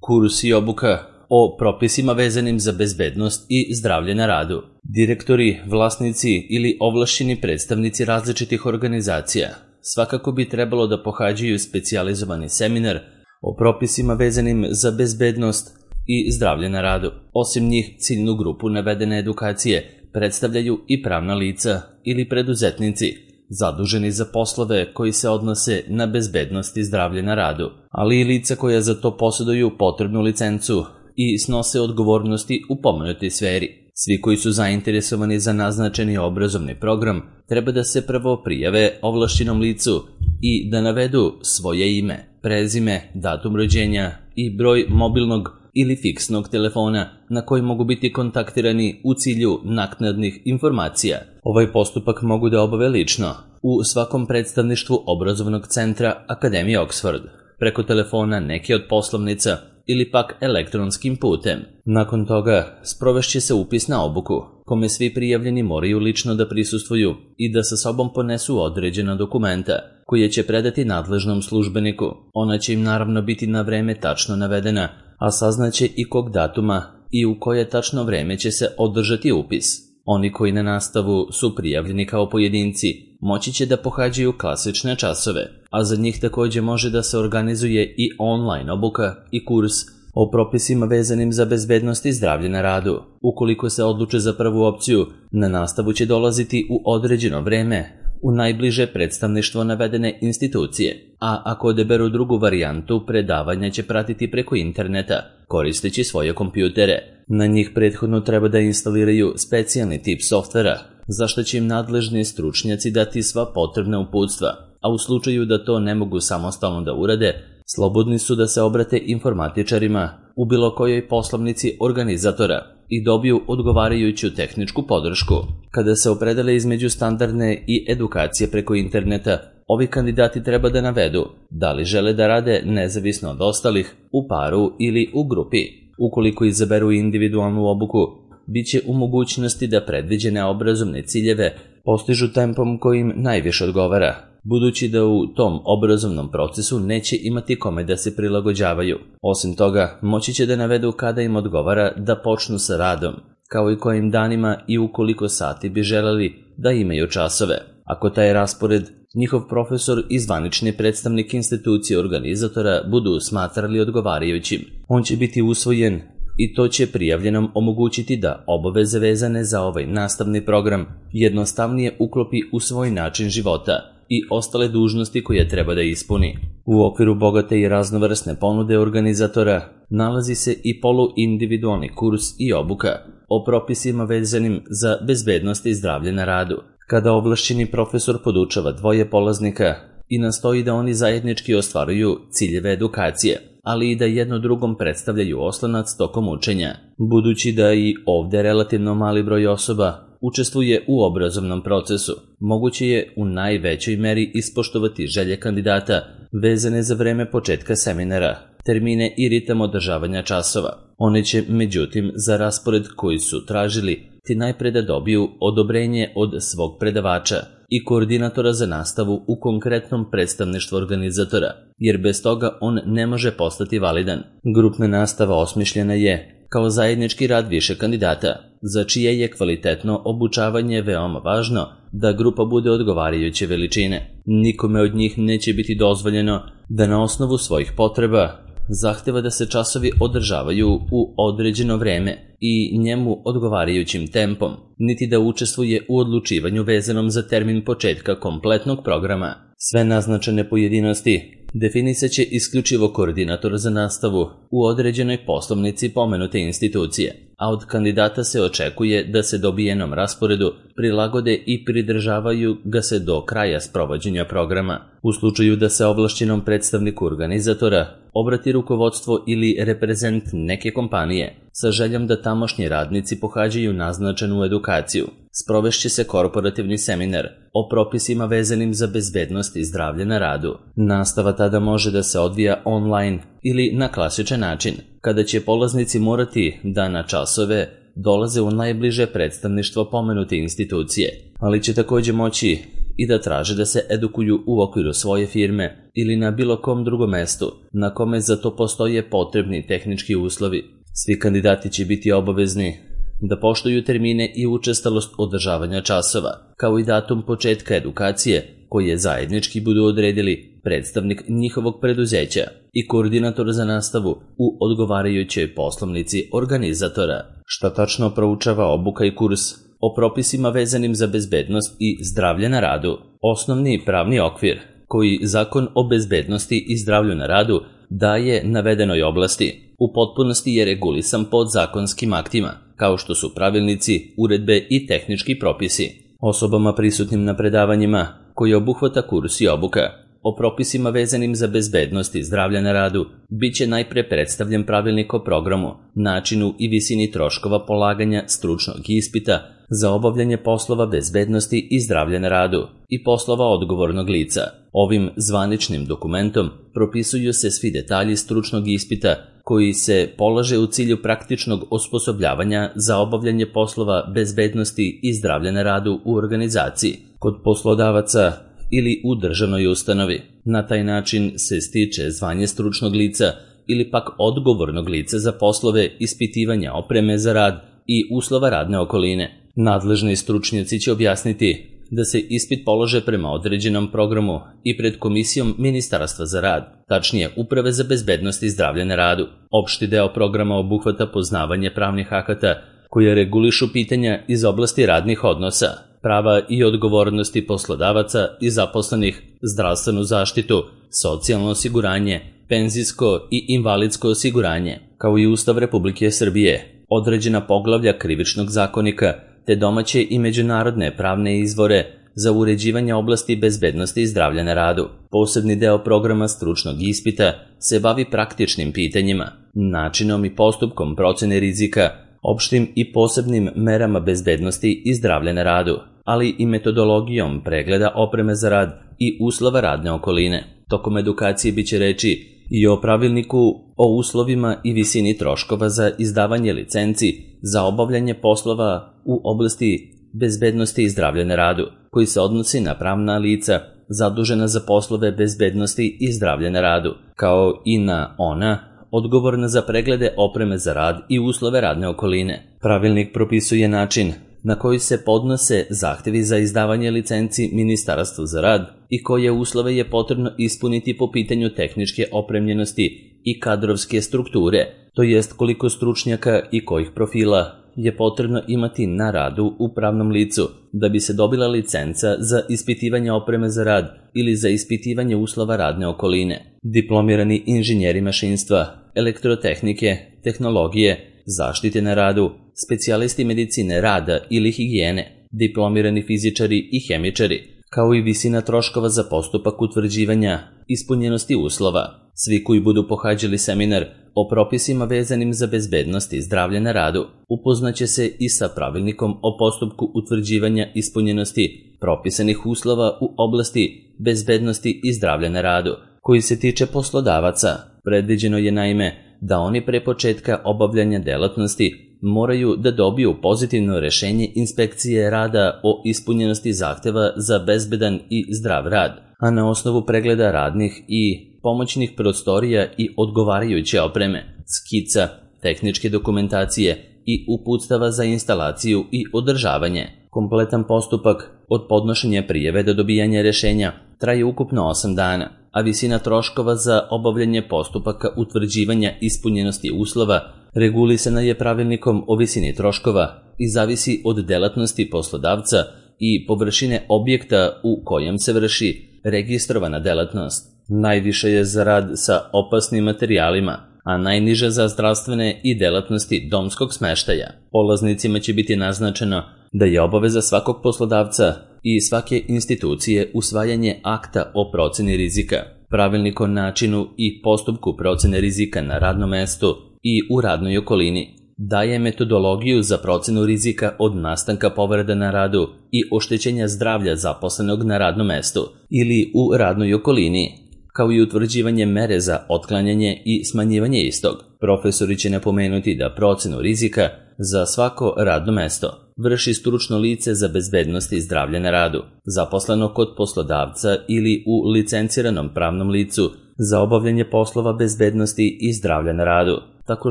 kurs i obuka o propisima vezanim za bezbednost i zdravlje na radu. Direktori, vlasnici ili ovlašćeni predstavnici različitih organizacija svakako bi trebalo da pohađaju specijalizovani seminar o propisima vezanim za bezbednost i zdravlje na radu. Osim njih, ciljnu grupu navedene edukacije predstavljaju i pravna lica ili preduzetnici zaduženi za poslove koji se odnose na bezbednost i zdravlje na radu, ali i lica koja za to posjeduju potrebnu licencu i snose odgovornosti u pomenutoj sferi. Svi koji su zainteresovani za naznačeni obrazovni program treba da se prvo prijave ovlašćenom licu i da navedu svoje ime, prezime, datum rođenja i broj mobilnog ili fiksnog telefona na koji mogu biti kontaktirani u cilju naknadnih informacija. Ovaj postupak mogu da obave lično u svakom predstavništvu obrazovnog centra Akademije Oxford, preko telefona neke od poslovnica ili pak elektronskim putem. Nakon toga sprovešće se upis na obuku, kome svi prijavljeni moraju lično da prisustvuju i da sa sobom ponesu određena dokumenta koje će predati nadležnom službeniku. Ona će im naravno biti na vreme tačno navedena, a saznaće i kog datuma i u koje tačno vreme će se održati upis. Oni koji na nastavu su prijavljeni kao pojedinci moći će da pohađaju klasične časove, a za njih takođe može da se organizuje i online obuka i kurs o propisima vezanim za bezbednost i zdravlje na radu. Ukoliko se odluče za prvu opciju, na nastavu će dolaziti u određeno vreme u najbliže predstavništvo navedene institucije, a ako odeberu drugu varijantu, predavanja će pratiti preko interneta, koristeći svoje kompjutere. Na njih prethodno treba da instaliraju specijalni tip softvera, za što će im nadležni stručnjaci dati sva potrebna uputstva, a u slučaju da to ne mogu samostalno da urade, slobodni su da se obrate informatičarima u bilo kojoj poslovnici organizatora i dobiju odgovarajuću tehničku podršku. Kada se opredele između standardne i edukacije preko interneta, ovi kandidati treba da navedu da li žele da rade nezavisno od ostalih, u paru ili u grupi. Ukoliko izaberu individualnu obuku, bit će u mogućnosti da predviđene obrazovne ciljeve postižu tempom kojim najviše odgovara, budući da u tom obrazovnom procesu neće imati kome da se prilagođavaju. Osim toga, moći će da navedu kada im odgovara da počnu sa radom, kao i kojim danima i u koliko sati bi želeli da imaju časove. Ako taj raspored njihov profesor i zvanični predstavnik institucije organizatora budu smatrali odgovarajućim, on će biti usvojen i to će prijavljenom omogućiti da obaveze vezane za ovaj nastavni program jednostavnije uklopi u svoj način života i ostale dužnosti koje treba da ispuni. U okviru bogate i raznovrsne ponude organizatora nalazi se i poluindividualni kurs i obuka o propisima vezanim za bezbednost i zdravlje na radu, kada ovlašćeni profesor podučava dvoje polaznika i nastoji da oni zajednički ostvaruju ciljeve edukacije, ali i da jedno drugom predstavljaju oslonac tokom učenja. Budući da i ovde relativno mali broj osoba učestvuje u obrazovnom procesu, moguće je u najvećoj meri ispoštovati želje kandidata vezane za vreme početka seminara, termine i ritam održavanja časova. One će, međutim, za raspored koji su tražili, ti najpre da dobiju odobrenje od svog predavača i koordinatora za nastavu u konkretnom predstavništvu organizatora, jer bez toga on ne može postati validan. Grupna nastava osmišljena je kao zajednički rad više kandidata, za čije je kvalitetno obučavanje veoma važno da grupa bude odgovarajuće veličine. Nikome od njih neće biti dozvoljeno da na osnovu svojih potreba zahteva da se časovi održavaju u određeno vreme i njemu odgovarajućim tempom, niti da učestvuje u odlučivanju vezanom za termin početka kompletnog programa. Sve naznačene pojedinosti definisat će isključivo koordinator za nastavu u određenoj poslovnici pomenute institucije, a od kandidata se očekuje da se dobijenom rasporedu prilagode i pridržavaju ga se do kraja sprovođenja programa. U slučaju da se ovlašćenom predstavniku organizatora obrati rukovodstvo ili reprezent neke kompanije sa željom da tamošnji radnici pohađaju naznačenu edukaciju, sprovešće se korporativni seminar o propisima vezanim za bezbednost i zdravlje na radu. Nastava tada može da se odvija online ili na klasičan način, kada će polaznici morati da na časove dolaze u najbliže predstavništvo pomenute institucije, ali će takođe moći i da traže da se edukuju u okviru svoje firme ili na bilo kom drugom mestu na kome za to postoje potrebni tehnički uslovi. Svi kandidati će biti obavezni da poštuju termine i učestalost održavanja časova, kao i datum početka edukacije koje zajednički budu odredili predstavnik njihovog preduzeća i koordinator za nastavu u odgovarajućoj poslovnici organizatora. Šta tačno proučava obuka i kurs? O propisima vezanim za bezbednost i zdravlje na radu. Osnovni pravni okvir koji Zakon o bezbednosti i zdravlju na radu daje navedenoj oblasti u potpunosti je regulisan podzakonskim aktima, kao što su pravilnici, uredbe i tehnički propisi. Osobama prisutnim na predavanjima koje obuhvata kurs i obuka o propisima vezanim za bezbednost i zdravlja na radu bit će najpre predstavljen pravilnik o programu, načinu i visini troškova polaganja stručnog ispita za obavljanje poslova bezbednosti i zdravlja na radu i poslova odgovornog lica. Ovim zvaničnim dokumentom propisuju se svi detalji stručnog ispita koji se polaže u cilju praktičnog osposobljavanja za obavljanje poslova bezbednosti i zdravlja na radu u organizaciji, kod poslodavaca ili u državnoj ustanovi. Na taj način se stiče zvanje stručnog lica ili pak odgovornog lica za poslove ispitivanja opreme za rad i uslova radne okoline. Nadležni stručnjaci će objasniti da se ispit polože prema određenom programu i pred Komisijom Ministarstva za rad, tačnije Uprave za bezbednost i zdravlje na radu. Opšti deo programa obuhvata poznavanje pravnih akata koje regulišu pitanja iz oblasti radnih odnosa, prava i odgovornosti poslodavaca i zaposlenih, zdravstvenu zaštitu, socijalno osiguranje, penzijsko i invalidsko osiguranje, kao i Ustav Republike Srbije, određena poglavlja Krivičnog zakonika, te domaće i međunarodne pravne izvore za uređivanje oblasti bezbednosti i zdravlja na radu. Posebni deo programa stručnog ispita se bavi praktičnim pitanjima, načinom i postupkom procene rizika, opštim i posebnim merama bezbednosti i zdravlja na radu, ali i metodologijom pregleda opreme za rad i uslova radne okoline. Tokom edukacije biće reči i o pravilniku o uslovima i visini troškova za izdavanje licenci za obavljanje poslova u oblasti bezbednosti i zdravlja na radu, koji se odnosi na pravna lica zadužena za poslove bezbednosti i zdravlja na radu, kao i na ona odgovorna za preglede opreme za rad i uslove radne okoline. Pravilnik propisuje način na koji se podnose zahtevi za izdavanje licenci Ministarstvu za rad i koje uslove je potrebno ispuniti po pitanju tehničke opremljenosti i kadrovske strukture, to jest koliko stručnjaka i kojih profila je potrebno imati na radu u pravnom licu da bi se dobila licenca za ispitivanje opreme za rad ili za ispitivanje uslova radne okoline. Diplomirani inženjeri mašinstva, elektrotehnike, tehnologije, zaštite na radu, specijalisti medicine rada ili higijene, diplomirani fizičari i hemičari, kao i visina troškova za postupak utvrđivanja ispunjenosti uslova. Svi koji budu pohađali seminar o propisima vezanim za bezbednost i zdravlje na radu upoznaće se i sa pravilnikom o postupku utvrđivanja ispunjenosti propisanih uslova u oblasti bezbednosti i zdravlja na radu, koji se tiče poslodavaca. Predviđeno je naime da oni pre početka obavljanja delatnosti moraju da dobiju pozitivno rešenje inspekcije rada o ispunjenosti zahteva za bezbedan i zdrav rad, a na osnovu pregleda radnih i pomoćnih prostorija i odgovarajuće opreme, skica, tehničke dokumentacije i uputstava za instalaciju i održavanje. Kompletan postupak od podnošenja prijave do dobijanja rešenja traje ukupno 8 dana, a visina troškova za obavljanje postupaka utvrđivanja ispunjenosti uslova regulisana je pravilnikom o visini troškova i zavisi od delatnosti poslodavca i površine objekta u kojem se vrši registrovana delatnost. Najviše je za rad sa opasnim materijalima, a najniže za zdravstvene i delatnosti domskog smeštaja. Polaznicima će biti naznačeno da je obaveza svakog poslodavca i svake institucije usvajanje akta o proceni rizika, pravilnik o načinu i postupku procene rizika na radnom mestu i u radnoj okolini, daje metodologiju za procenu rizika od nastanka povreda na radu i oštećenja zdravlja zaposlenog na radnom mestu ili u radnoj okolini, kao i utvrđivanje mere za otklanjanje i smanjivanje istog. Profesori će napomenuti da procenu rizika za svako radno mesto vrši stručno lice za bezbednost i zdravlje na radu, zaposleno kod poslodavca ili u licenciranom pravnom licu za obavljanje poslova bezbednosti i zdravlja na radu, tako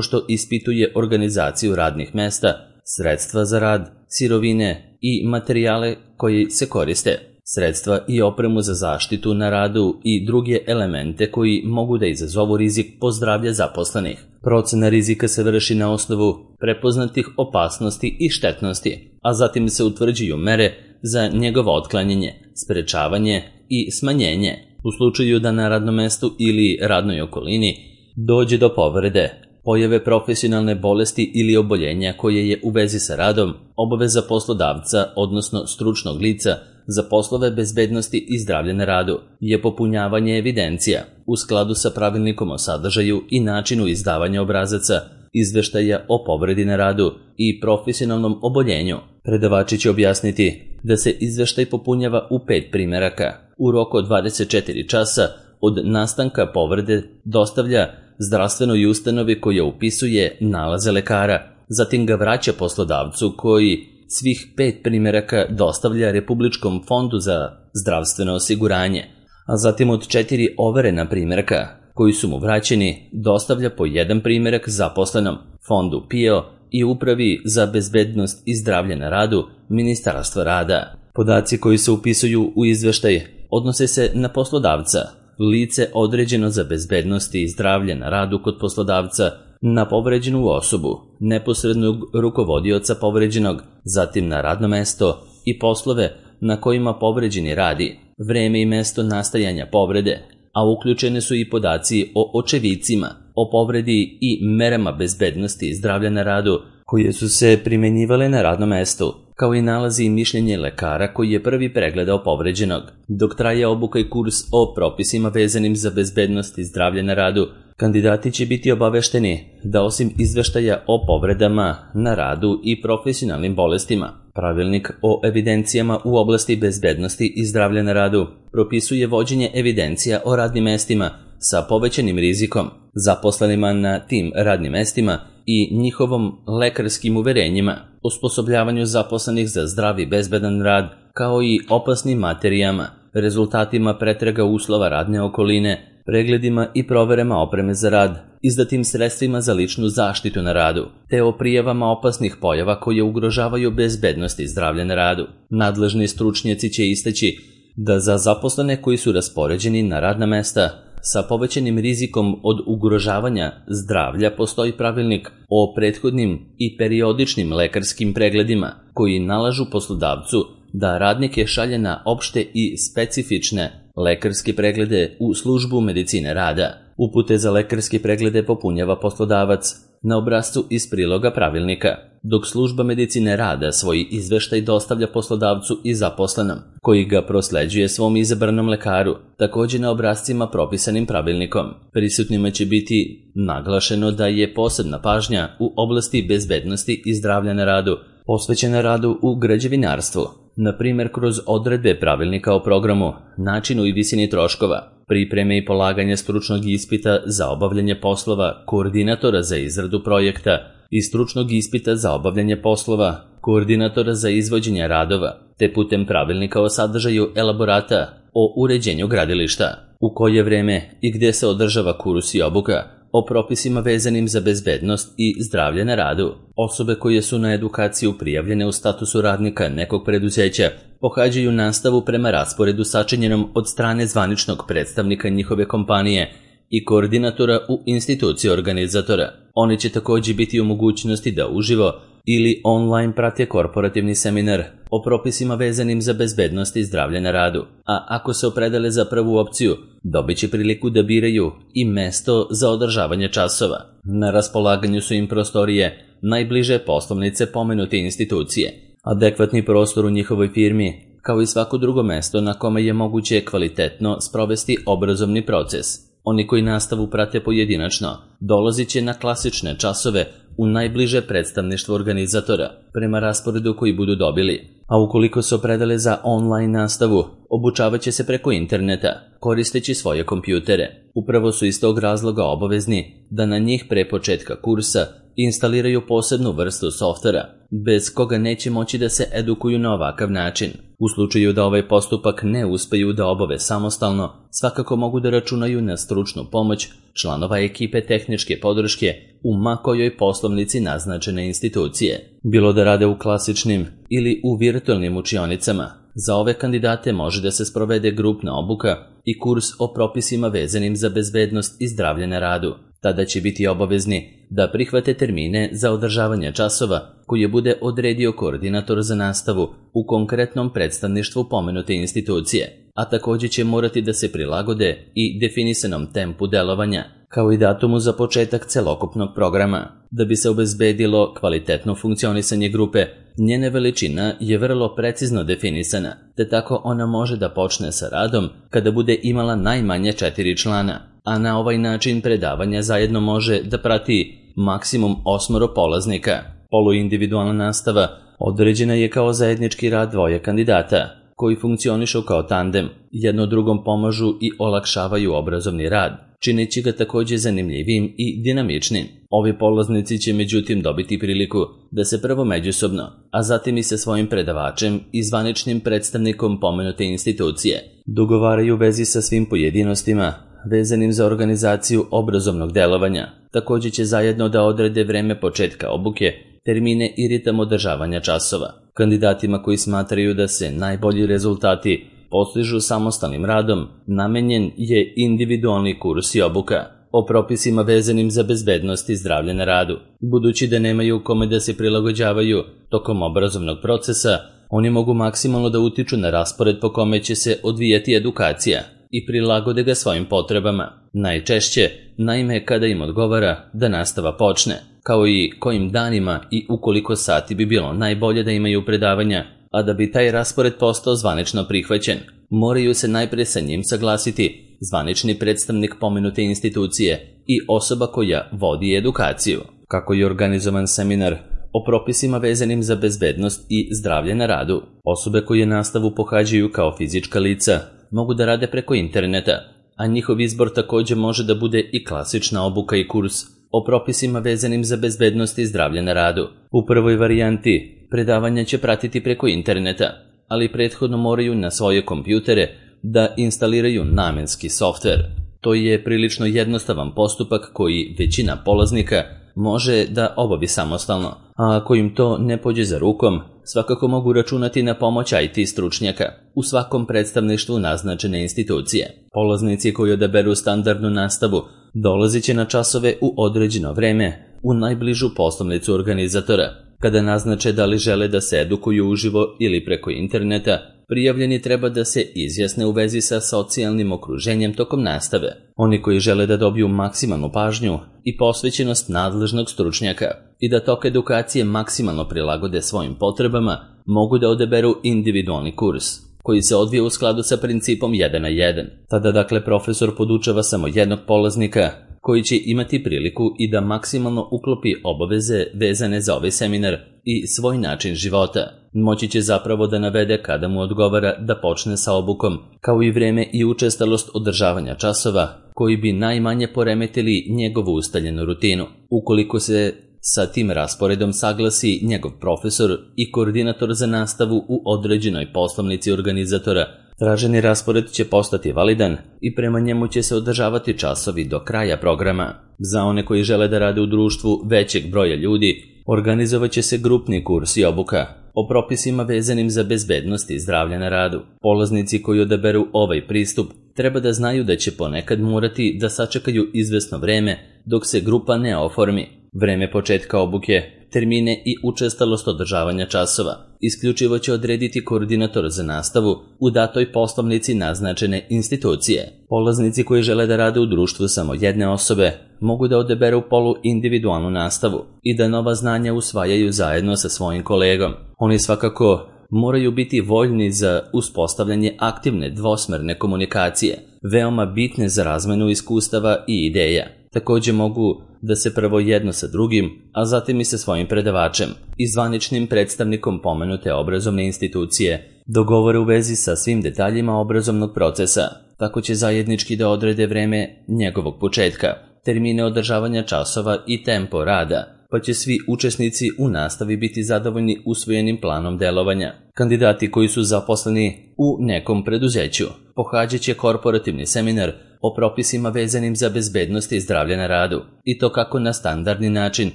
što ispituje organizaciju radnih mesta, sredstva za rad, sirovine i materijale koji se koriste, sredstva i opremu za zaštitu na radu i druge elemente koji mogu da izazovu rizik po zdravlje zaposlenih. Procena rizika se vrši na osnovu prepoznatih opasnosti i štetnosti, a zatim se utvrđuju mere za njegovo otklanjanje, sprečavanje i smanjenje u slučaju da na radnom mestu ili radnoj okolini dođe do povrede, pojave profesionalne bolesti ili oboljenja koje je u vezi sa radom, obaveza poslodavca, odnosno stručnog lica za poslove bezbednosti i zdravlja na radu je popunjavanje evidencija u skladu sa pravilnikom o sadržaju i načinu izdavanja obrazaca, izveštaja o povredi na radu i profesionalnom oboljenju. Predavači će objasniti da se izveštaj popunjava u 5 primeraka u roku od 24 časa od nastanka povrede, dostavlja zdravstvenoj ustanovi koja upisuje nalaze lekara, zatim ga vraća poslodavcu koji svih 5 primeraka dostavlja Republičkom fondu za zdravstveno osiguranje, a zatim od 4 overena primeraka koji su mu vraćeni dostavlja po 1 primerak zaposlenom fondu PIO i Upravi za bezbednost i zdravlje na radu Ministarstva rada. Podaci koji se upisuju u izveštaj odnose se na poslodavca, lice određeno za bezbednost i zdravlje na radu kod poslodavca, na povređenu osobu, neposrednog rukovodioca povređenog, zatim na radno mesto i poslove na kojima povređeni radi, vreme i mesto nastajanja povrede, a uključene su i podaci o očevicima, o povredi i merama bezbednosti i zdravlja na radu koje su se primenjivale na radnom mestu, kao i nalazi i mišljenje lekara koji je prvi pregledao povređenog. Dok traje obuka i kurs o propisima vezanim za bezbednost i zdravlje na radu, kandidati će biti obavešteni da osim izveštaja o povredama na radu i profesionalnim bolestima, pravilnik o evidencijama u oblasti bezbednosti i zdravlja na radu propisuje vođenje evidencija o radnim mestima sa povećanim rizikom, zaposlenima na tim radnim mestima i njihovom lekarskim uverenjima, osposobljavanju zaposlenih za zdrav i bezbedan rad, kao i opasnim materijama, rezultatima pretraga uslova radne okoline, pregledima i proverama opreme za rad, izdatim sredstvima za ličnu zaštitu na radu, te o prijavama opasnih pojava koje ugrožavaju bezbednost i zdravlje na radu. Nadležni stručnjaci će istaći da za zaposlene koji su raspoređeni na radna mesta sa povećanim rizikom od ugrožavanja zdravlja postoji pravilnik o prethodnim i periodičnim lekarskim pregledima koji nalažu poslodavcu da radnike šalje na opšte i specifične lekarske preglede u službu medicine rada. Upute za lekarske preglede popunjava poslodavac na obrascu iz priloga pravilnika, dok služba medicine rada svoj izveštaj dostavlja poslodavcu i zaposlenom, koji ga prosleđuje svom izabranom lekaru, također na obrascima propisanim pravilnikom. Prisutnima će biti naglašeno da je posebna pažnja u oblasti bezbednosti i zdravlja na radu posvećena radu u građevinarstvu, na primjer kroz odredbe pravilnika o programu, načinu i visini troškova, pripreme i polaganje stručnog ispita za obavljanje poslova koordinatora za izradu projekta i stručnog ispita za obavljanje poslova koordinatora za izvođenje radova, te putem pravilnika o sadržaju elaborata o uređenju gradilišta, u koje vreme i gde se održava kurs i obuka, o propisima vezanim za bezbednost i zdravlje na radu. Osobe koje su na edukaciju prijavljene u statusu radnika nekog preduzeća pohađaju nastavu prema rasporedu sačinjenom od strane zvaničnog predstavnika njihove kompanije i koordinatora u instituciji organizatora. Oni će također biti u mogućnosti da uživo ili online prate korporativni seminar o propisima vezanim za bezbednost i zdravlje na radu, a ako se opredele za prvu opciju, dobit će priliku da biraju i mesto za održavanje časova. Na raspolaganju su im prostorije najbliže poslovnice pomenute institucije, adekvatni prostor u njihovoj firmi, kao i svako drugo mesto na kome je moguće kvalitetno sprovesti obrazovni proces. Oni koji nastavu prate pojedinačno dolazit će na klasične časove u najbliže predstavništvo organizatora prema rasporedu koji budu dobili, a ukoliko se opredele za online nastavu, obučavat će se preko interneta, koristeći svoje kompjutere. Upravo su iz tog razloga obavezni da na njih pre početka kursa i instaliraju posebnu vrstu softvera, bez koga neće moći da se edukuju na ovakav način. U slučaju da ovaj postupak ne uspeju da obave samostalno, svakako mogu da računaju na stručnu pomoć članova ekipe tehničke podrške u ma kojoj poslovnici naznačene institucije, bilo da rade u klasičnim ili u virtualnim učionicama. Za ove kandidate može da se sprovede grupna obuka i kurs o propisima vezanim za bezbednost i zdravlje na radu. Tada će biti obavezni da prihvate termine za održavanje časova koje bude odredio koordinator za nastavu u konkretnom predstavništvu pomenute institucije, a također će morati da se prilagode i definisanom tempu delovanja, kao i datumu za početak celokupnog programa. Da bi se obezbedilo kvalitetno funkcionisanje grupe, njena veličina je vrlo precizno definisana, te tako ona može da počne sa radom kada bude imala najmanje 4 člana, a na ovaj način predavanja zajedno može da prati maksimum 8 polaznika. Poluindividualna nastava određena je kao zajednički rad dvoje kandidata, koji funkcionišu kao tandem, jedno drugom pomažu i olakšavaju obrazovni rad, čineći ga također zanimljivim i dinamičnim. Ovi polaznici će međutim dobiti priliku da se prvo međusobno, a zatim i sa svojim predavačem i zvaničnim predstavnikom pomenute institucije dogovaraju u vezi sa svim pojedinostima vezanim za organizaciju obrazovnog delovanja. Također će zajedno da odrede vreme početka obuke, termine i ritam održavanja časova. Kandidatima koji smatraju da se najbolji rezultati postižu samostalnim radom, namenjen je individualni kurs i obuka o propisima vezanim za bezbednost i zdravlje na radu. Budući da nemaju kome da se prilagođavaju tokom obrazovnog procesa, oni mogu maksimalno da utiču na raspored po kome će se odvijati edukacija i prilagode ga svojim potrebama. Najčešće, naime, kada im odgovara da nastava počne, kao i kojim danima i u koliko sati bi bilo najbolje da imaju predavanja, a da bi taj raspored postao zvanično prihvaćen, moraju se najpre sa njim saglasiti zvanični predstavnik pomenute institucije i osoba koja vodi edukaciju. Kako je organizovan seminar o propisima vezanim za bezbednost i zdravlje na radu? Osobe koje nastavu pohađaju kao fizička lica mogu da rade preko interneta, a njihov izbor također može da bude i klasična obuka i kurs o propisima vezanim za bezbednost i zdravlje na radu. U prvoj varijanti predavanja će pratiti preko interneta, ali prethodno moraju na svoje kompjutere da instaliraju namenski softver. To je prilično jednostavan postupak koji većina polaznika može da obavi samostalno, a ako im to ne pođe za rukom, svakako mogu računati na pomoć IT stručnjaka u svakom predstavništvu naznačene institucije. Polaznici koji odaberu standardnu nastavu dolazit će na časove u određeno vreme u najbližu poslovnicu organizatora. Kada naznače da li žele da se edukuju uživo ili preko interneta, prijavljeni treba da se izjasne u vezi sa socijalnim okruženjem tokom nastave. Oni koji žele da dobiju maksimalnu pažnju i posvećenost nadležnog stručnjaka i da tok edukacije maksimalno prilagode svojim potrebama, mogu da odaberu individualni kurs, koji se odvija u skladu sa principom 1 na 1. Tada dakle profesor podučava samo jednog polaznika, koji će imati priliku i da maksimalno uklopi obaveze vezane za ovaj seminar i svoj način života. Moći će zapravo da navede kada mu odgovara da počne sa obukom, kao i vreme i učestalost održavanja časova, koji bi najmanje poremetili njegovu ustaljenu rutinu. Ukoliko se sa tim rasporedom saglasi njegov profesor i koordinator za nastavu u određenoj poslovnici organizatora, traženi raspored će postati validan i prema njemu će se održavati časovi do kraja programa. Za one koji žele da rade u društvu većeg broja ljudi, organizovat će se grupni kurs i obuka o propisima vezanim za bezbednost i zdravlje na radu. Polaznici koji odaberu ovaj pristup treba da znaju da će ponekad morati da sačekaju izvesno vreme dok se grupa ne oformi. Vreme početka obuke, termine i učestalost održavanja časova isključivo će odrediti koordinator za nastavu u datoj poslovnici naznačene institucije. Polaznici koji žele da rade u društvu samo jedne osobe mogu da odaberu poluindividualnu nastavu i da nova znanja usvajaju zajedno sa svojim kolegom. Oni svakako moraju biti voljni za uspostavljanje aktivne dvosmerne komunikacije, veoma bitne za razmenu iskustava i ideja. Također mogu da se prvo jedno sa drugim, a zatim i sa svojim predavačem i zvaničnim predstavnikom pomenute obrazovne institucije dogovore u vezi sa svim detaljima obrazovnog procesa. Tako će zajednički da odrede vreme njegovog početka, termine održavanja časova i tempo rada, pa će svi učesnici u nastavi biti zadovoljni usvojenim planom delovanja. Kandidati koji su zaposleni u nekom preduzeću pohađat će korporativni seminar o propisima vezanim za bezbednost i zdravlje na radu, i to kako na standardni način,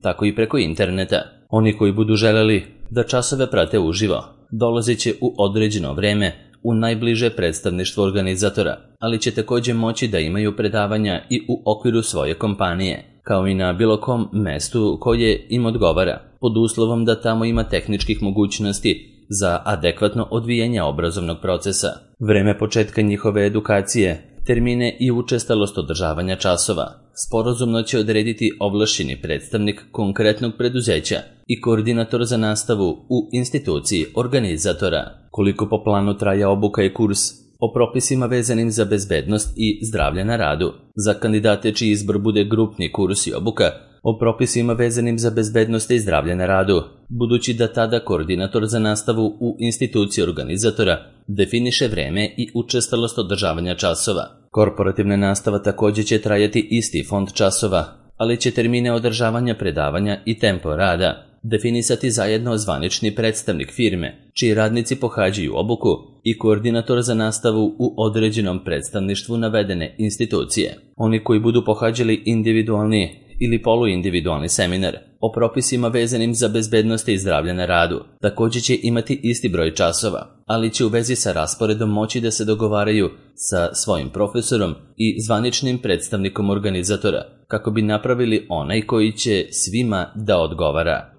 tako i preko interneta. Oni koji budu želeli da časove prate uživo, dolazit će u određeno vreme u najbliže predstavništvo organizatora, ali će također moći da imaju predavanja i u okviru svoje kompanije, kao i na bilo kom mestu koje im odgovara, pod uslovom da tamo ima tehničkih mogućnosti za adekvatno odvijanje obrazovnog procesa. Vreme početka njihove edukacije, termine i učestalost održavanja časova sporazumno će odrediti ovlašćeni predstavnik konkretnog preduzeća i koordinator za nastavu u instituciji organizatora. Koliko po planu traje obuka i kurs o propisima vezanim za bezbednost i zdravlje na radu. Za kandidate čiji izbor bude grupni kurs i obuka o propisima vezanim za bezbednost i zdravlje na radu, budući da tada koordinator za nastavu u instituciji organizatora definiše vreme i učestalost održavanja časova. Korporativna nastava također će trajati isti fond časova, ali će termine održavanja predavanja i tempo rada definisati zajedno zvanični predstavnik firme, čiji radnici pohađaju obuku, i koordinator za nastavu u određenom predstavništvu navedene institucije. Oni koji budu pohađali individualni ili poluindividualni seminar o propisima vezanim za bezbednost i zdravlje na radu također će imati isti broj časova, ali će u vezi sa rasporedom moći da se dogovaraju sa svojim profesorom i zvaničnim predstavnikom organizatora, kako bi napravili onaj koji će svima da odgovara.